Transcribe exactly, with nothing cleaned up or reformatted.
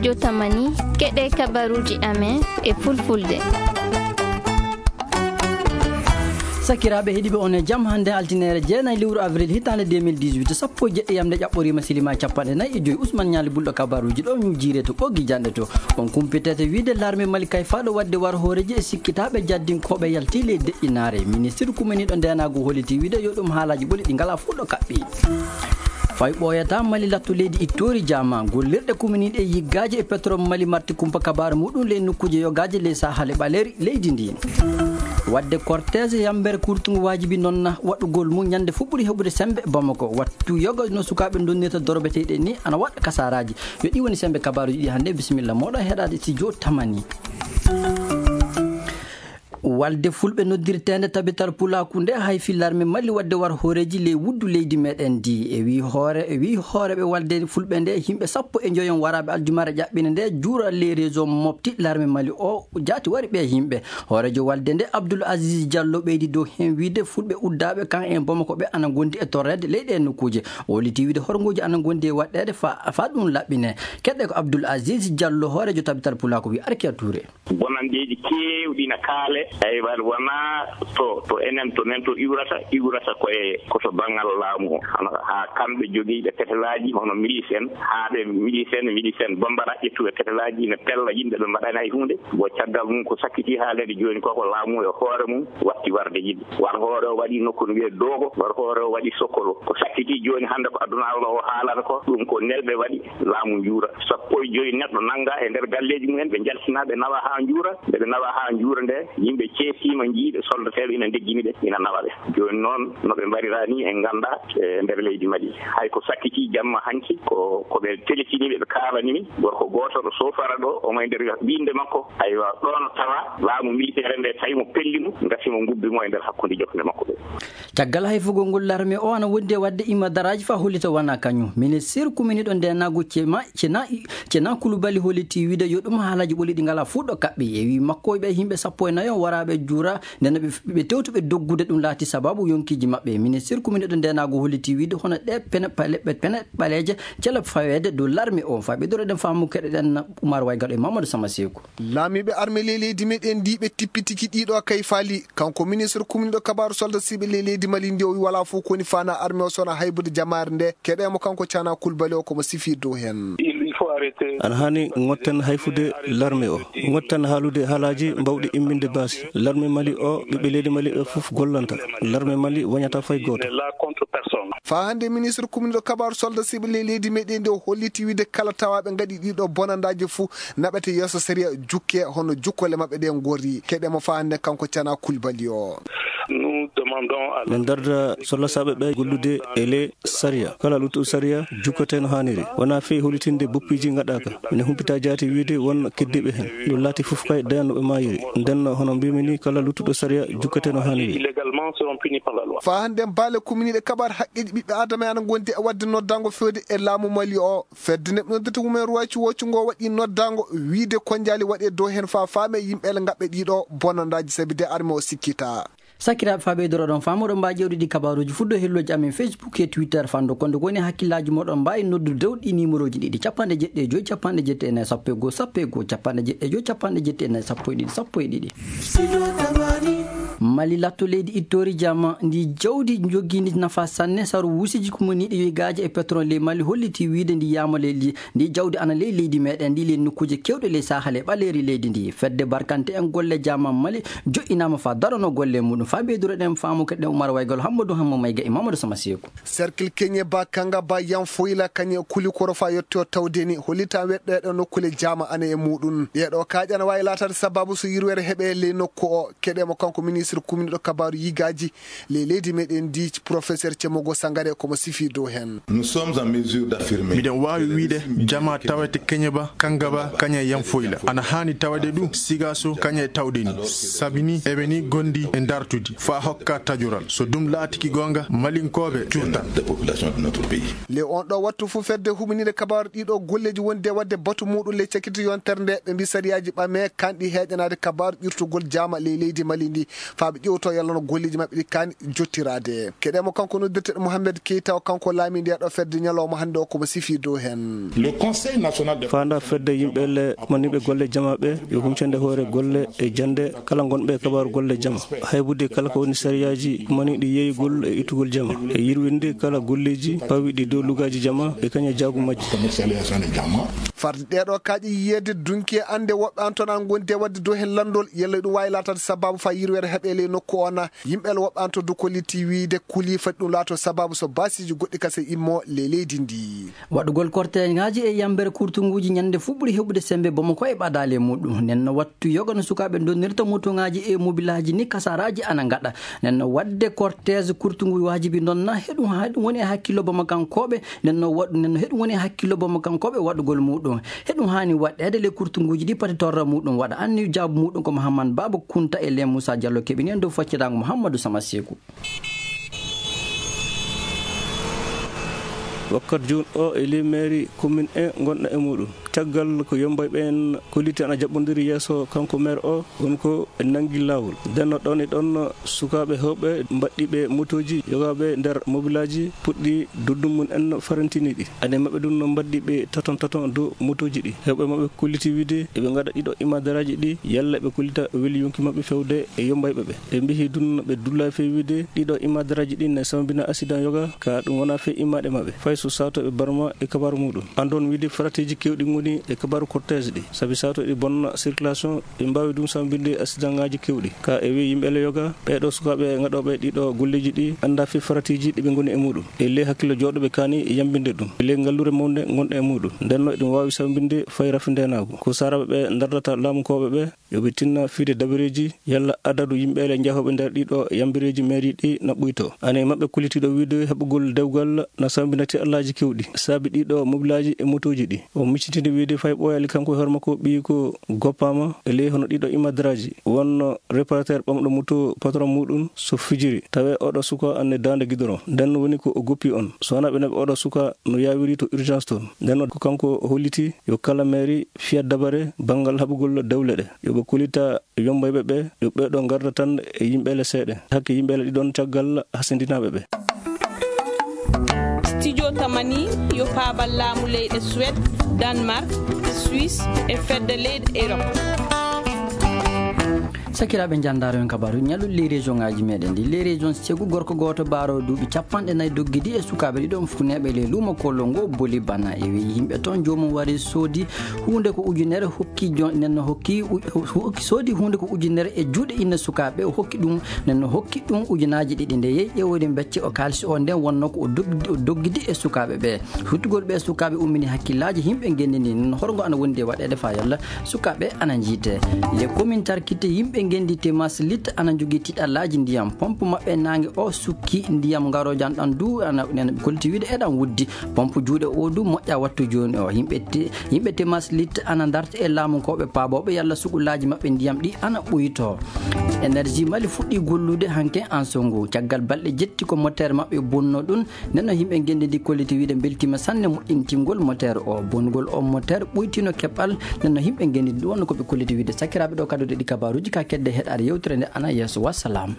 Jotamani, keɗe kabaruuji amen e fulfulde. Sakiraaɓe heɗiiɓe, on e jam. Hannde altineere jeenayi lewru avril hitaande deux mille dix-huit, sappo e jeɗɗi yamde ƴaɓɓoriima, silima e capanɗe nayi e joyi. Usman Ñaali Bulɗo kabaruuji ɗo ñuujiire to ɓoggi janɗe to. On kumpitete wiide larme Mali kay faaɗo waɗde war hooreeji e sikkitaaɓe jaddinkooɓe yalti ley deƴƴinaare. Ministir kuminiiɗo ndeenaagu holliti wiide yo ɗum haalaaji ɓoli ɗi ngalaa fuɗɗo kaɓɓi. Fay ɓooyata Mali latto leydi ittoori jaama, gollirɗe kuminiiɗe e yiggaaji e pétrole Mali marti kumpa kabaaru muɗum ley nokkuuje yogaaji ley Sahel e ɓaleeri leydi ndi. Waɗde cortège yambere kurtungu waajibi noon na waɗugol mum ñande fof ɓuri heɓude sembe Bamako. Wattu yoga no sukaaɓe donnirta dorobeteeɗe ni ana waɗa kasaaraaji. Yo ɗi woni sembe kabaaruuji ɗi hannde. Bisimilla mooɗon heɗaade studio Tamani. Walde fulɓe noddirteende Tabital Pulaaku nde hayfi larme Mali waɗde war hooreeji ley wuddu leydi meɗen ndi. E wi hoore, e wi hooreɓe walde fulɓe nde, yimɓe sappo e njoyon waraaɓe aljumare ƴaɓɓine nde juura ley réseau mofti larme Mali o jaati wari ɓe yimɓe. Hooreejo walde nde Abdoul Aziz Diallo ɓeydi dow heen wiide fulɓe uddaaɓe kan en Bamako ɓe ana ngondi e torreede ley ɗee nokkuuje. O holliti wiide horngooji ana ngondi e waɗɗeede fa, fa ɗum laɓɓine. Keɗɗe ko Abdoul Aziz Diallo, hooreejo Tabital Pulaaku wi Arkia Touré. Bonanndeeji keewɗi na kaale. Aywa, wonaa to, to enen, to men to iwrata, iwrata ko e, ko to banngal laamu o. Hono haa kamɓe jogiiɓe fetelaaji, hono milice en, haa ɓe milice en, milice en Bambara, ƴettuɓe fetelaaji, ina pella yimɓe, ɓe mbaɗaani hay huunde. Bon, caggal mum ko sakkiti haalede jooni ko, ko laamu e hoore mum watti warde yimɓe. War hoore o waɗi nokku no wiyee Dogo, war hoore o waɗi Sokolo. Ko sakkiti jooni hannde ko aduna Allah o haalata ko, ɗum ko nelɓe waɗi. Laamu njuura. Sappo e joyi neɗɗo nannga e nder galleeji mumen, ɓe njaltina, ɓe nawa haa njuura. Nde ɓe nawa haa njuura nde, yimɓe ceesiima, njii ɓe, soldateeɓe ina ndeggini ɓe, ina nawa ɓe. Jooni noon, no ɓe mbarira ni, en nganndaa e nder leydi Mali. Hay ko sakkiti jamma hanki, ko, ko ɓe telefini ɓe, ɓe kaalani min. Gorko gooto ɗo Sofara ɗo, omo e nder winnde makko. Aywa, ɗo no tawa laamu militeere nde, tawi mo pelli mo, ngasi mo ngubbi mo e nder hakkunde jokkere makko ɓe. Caggal hayfugol ngol, larme o ana wondi e waɗde imadaraaji faa hollita wonaa kañum. Ministir kuminiiɗo ndeenaagu Cema, Cena, Cena Kulubali holliti wiide yo ɗum haalaaji ɓoli ɗi ngalaa fuɗɗo kaɓɓi. E wii makko, ɓe yimɓe sappo e nayo waraaɓe juura, nden ɓe, ɓe tewtuɓe doggude, ɗum laati sabaabu yonkiiji maɓɓe. Ministir kuminiiɗo ndeenaagu holliti wiide hono ɗe pene pale-, ɓe pene ɓaleeje cela faweede dow larme o. Faa ɓe doro ɗen faamu keɗe ɗen Umar Waygal e Mamadou Sama Seeku. Laamiiɓe arme ley leydi meɗen ndi ɓe tippitiki ɗiɗo kay faali. Kanko ministre kumniɗo kabaaru soldat siɓe ley leydi Mali ndi, o wi walaa fof ko woni faana arme o sona haybude jamaare nde. Keɗe mo kanko Cana Kulbali o ko mo sifi dow heen. Il, il faut arrêter. Ana haani ngotten hayfude larme o. Ngotten haalude haalaaji mbawɗi imminde baasi. Larme Mali o, ɓiɓɓe leydi Mali ɓe fof gollanta. Larme Mali wañata fay gooto. N'est là contre personne. Faa hannde ministre kumniɗo kabaaru soldat siɓe ley leydi meɗen ndi, o holliti wiide kala tawaaɓe ngaɗi ɗiɗo bonandaaji fof naɓete yeeso sariya, jukke hono jukkole maɓɓe ɗe ngorri. Keɗe mo faa hannde kanko Cana Kulbali o. Nous demandons à... Min darda sollasaaɓe ɓe gollude e le sariya. Kala luttuɗo sariya jukkete no haaniri. Wonaa fii hollitinde boppiiji ngaɗaaka. Mine humpita jaati wiide won keddiiɓe heen. Ɗum laati fof kay dañan no ɓe maayiri. Nden no hono mbiimi ni, kala luttuɗo sariya jukkete no haaniri. Illégalement seront punis par la loi. Faa hannde baale kumniiɗe kabaar haqqeeji ɓiɓɓe Aadama ana ngondi e waɗde noddango feewde e laamu Mali o. Fedde neɗɗo noddirta Human Rights Watch ngo waɗi noddango wiide ko njaali waɗe dow heen faa faame yimɓe ele ngaɓɓe ɗiɗo bonandaaji sabi de arme o sikkita. Sakiraaɓe, faa ɓeydoro ɗon faamu, oɗon mbaawi ƴeewde ɗi kabaaruuji fuɗɗo hellooji amen Facebook e Twitter fanndo konde ko woni hakkillaaji mooɗon mbaawi noddude dow ɗi nimerooji ɗiɗi, capanɗe jeɗɗi e joy, capanɗe jeɗɗi e nayi, sappo e goo, sappo e goo, capanɗe jeɗɗi e joy, capanɗe jeɗɗi e nayi, sappo e ɗiɗi, sappo e ɗiɗi. Mali latto leydi ittoori jama ndi jawdi njogiindi nafa sanne, saru wuusiji kumoniiɗi yoygaaji e pétrole ley Mali holliti wiide ndi yaama leydi, ndi jawdi ana ley leydi meɗen ndi ley nokkuuje keewɗe ley Sahel e ɓaleeri leydi ndi. Fedde barkante en golle jama Mali joƴƴinaama faa darano golle muɗum. Faa ɓeydoro ɗen faamu keɗen Umar Waygal, Hammadou Hamma Mayga e Mamadou Sama Seeku. Cercle Keñe ba Kanga ba Yanfoyla kañe Kulikoro faa yetto tawde ni hollita weɗɗo e ɗo nokkule jama ana e muɗum. Ɗeɗo kaaƴe ana waawi laataade sababu so yirwere heɓe ley nokku o. Keɗe mo kanko ministre kumniɗo kabaaru yigaaji ley leydi meɗen ndi, professeur Cemogo Sangare, ko mo sifi dow heen. Nous sommes en mesure d'affirmer... Miɗen waawi wiide jama tawete Keñe ba, Kanga ba, kañe Yanfoyla. Ana haani tawade ɗum, siga so kañe tawde ni. Sabi ni, eɓe ni gondi e dartudi faa hokka tajoral. So ɗum laatiki goonga, Malinkooɓe curtan. Des populations de notre pays. Le on ɗo wattu fof fedde huminire kabaaru ɗiɗo golleeji wonde waɗde batu muɗum le cakiti yontere nde, ɓe mbi sariyaaji ɓame kanɗi heeƴanaade kabaaru ƴurtugol jama ley leydi Mali ndi. faa ɓe ƴeewto yalla no golleeji maɓɓe ɗi kaani jottiraade. Keɗee mo, kanko noddirteeɗo Mohamed Keita, o kanko laamiiɗo ndeeɗo fedde, ñalawma hannde o ko mo sifii dow heen. Le Conseil national de Faanda fedde yimɓe le maniiɓe golle jama ɓe yo huncande hoore golle e jannde kala ngonɓe e kabaaru golle jama. Haybude kala ko woni sariyaaji maniiɗi yeeyugol e ittugol jama. E yirwinde kala golleeji pawiɗi dow lugaaji jama e kañe jaagu majji. Commercialisation de jama. Farde ɗeeɗo kaaƴe yiyeede dunki e annde woɓɓe an toon an ngondi e waɗde dow heen lanndol, yalla ɗum waawi laataade sabaabu faa yirweede heɓeele e nokku o na. Yimɓe le woɓɓe an to Dukoliti wiyde kulii fati ɗum laato sabaabu so baasiiji goɗɗi kase immo le leydi ndi. Waɗugol korteŋaaji e yambere kurtunguuji ñande fuu ɓuri heɓude sembe Bamako e ɓadaale muɗum. Nden no wattu yoga no sukaaɓe donnirta motoŋaaji e mobilaaji ni kasaraaji ana ngaɗa. Nden no waɗde kortees kurtungu waajibi noon na heɗum haa ɗum woni e hakkillo Bamakankooɓe. Nden no waɗ-, nden no heɗum woni e hakkillo Bamakankooɓe waɗugol muɗum. Heɗum haani waɗeede le kurtunguuji ɗi pati torra muɗum waɗa. Anni jaabu muɗum ko Mahamman Baaba Kunta e Leen Muusa Jallo keɓini en dow faccitaango Muhammadu Sama Seeku. Wakkat jooni o e ley mairie commune en ngonɗo e muɗum. Caggal ko yombayɓe en koliti ana jaɓɓondiri yeeso kanko maire o, woni ko en nangi laawol. Nden no ɗon e ɗon sukaaɓe heewɓe mbaɗɗiiɓe motooji yogaaɓe nder mobilaaji puɗɗi duddum mum en farantiniiɗi. Ane maɓɓe ɗum no mbaɗɗiiɓe taton taton dow motooji ɗi. Heewɓe maɓɓe koliti wiide eɓe ngaɗa ɗiɗo imadaraaji ɗi yalla ɓe kolita weli yonki maɓɓe fewde e yombayɓe ɓe. Ɓe mbihi ɗum ɓe dulla fee wiide ɗiɗo imadaraaji ɗi ne sambina accident yoga ka ɗum wona fee imaɗe maɓɓe. Fay so saato ɓe barma e kabaaru muɗum. Andon wiide farateeji kewɗi ngoni e kabaaru cortège ɗi. Sabi saato ɗi bonna circulation, ɓe mbaawi ɗum sambinde accident ŋaaji kewɗi. Ka e wi yimɓe le yoga, ɓee ɗo sukaaɓe ngaɗooɓe ɗiɗo golleeji ɗi annda fii farateeji ɗi ɓe ngoni e muɗum. E le hakkillo jooɗo ɓe kaani yambinde ɗum. E le ngallure mawnde ngonɗe e muɗum. Nden no eɗum waawi sambinde fay rafi ndenaagu. Ko saaraɓe ɓe ndardata laamunkooɓe ɓe, yo ɓe tinna fiide dabareeji yalla adadu yimɓe le njahooɓe nder ɗiɗo yambireeji mairie ɗi na ɓuyto. Ane maɓɓe kullitiiɗo wiide heɓugol dewgal na sambinati allaaji kewɗi. Saabi ɗiɗo mobilaaji e motooji ɗi. O miccitini wiide fay ɓooyali kanko e hoore makko ɓiyi ko goppaama e ley hono ɗiɗo imadaraaji. Wonno réparateur ɓamɗo moto patron muɗum so fijiri. Tawe oɗo suka anne daande gidoron. Nden woni ko o goppi on. So wona ɓe naɓi oɗo suka no yawiri to urgence toon. Nden ko kanko o holliti yo kala mairie fiya dabare banngal haɓugol dewle ɗe. Yo ɓe kullita yombayɓe ɓe, yo ɓee ɗo ngarda tan e yimɓe le seeɗa. Hakke yimɓe le ɗiɗon caggal hasindinaaɓe ɓe. Studio Tamani yo paabal laamu leyɗe Suède, Danemark, Suisse e fedde leyɗe Europe. Sakiraaɓe, njanndaaro en kabaaru ñallu les région ngaaji meɗen ɗi. Les région, cegu gorko gooto baaro duuɓi capanɗe nayi doggidi e sukaaɓe ɗiɗon funeeɓe le luumo kollo ngo boli bana. E wi yimɓe toon joomum wari soodi huunde ko ujunere, hokki jo-, nen no hokki u-, hokki soodi huunde ko ujunere e juuɗe inna sukaaɓe, o hokki ɗum, nen no hokki ɗum ujunaaji ɗiɗi. Nde yehi ƴeewoyde becce o kaalisi o, nden wonno ko o dogdi, o doggidi e sukaaɓe ɓe. Huttugol ɓe sukaaɓe ummini hakkillaaji yimɓe ngenndi ndi. Nen horgo ana wondi e waɗeede faa yalla sukaaɓe ana njiite. Les communes tarkitte yimɓe ngenndi Temas Lit ana njogii tiɗallaaji ndiyam. Pompe maɓɓe naange o sukki ndiyam ngaroojan ɗan du ana, nen kolti wiide eɗan wuddi. Pompe juuɗe o du moƴƴa wattu jooni o. Yimɓe te-, yimɓe Temas Lit ana ndarta e laamunkooɓe paabooɓe yalla sugullaaji maɓɓe ndiyam ɗi ana ɓuytoo. Énergie Mali fuɗɗii gollude hanke en so ngu. Caggal balɗe jetti ko moteur maɓɓe bonno ɗum. Nden no yimɓe ngenndi ndi kolliti wiide mbeltiima sanne moƴƴintingol moteur o. Bonnugol o moteur ɓuytino keɓal. Nden no yimɓe ngenndi ndi ɗum wonno ko ɓe kolliti wiide. Sakiraaɓe, ɗo kadduɗe ɗi kabaaruuji ka kedde heɗaade yewtere nde ana yeeso. Wassalam.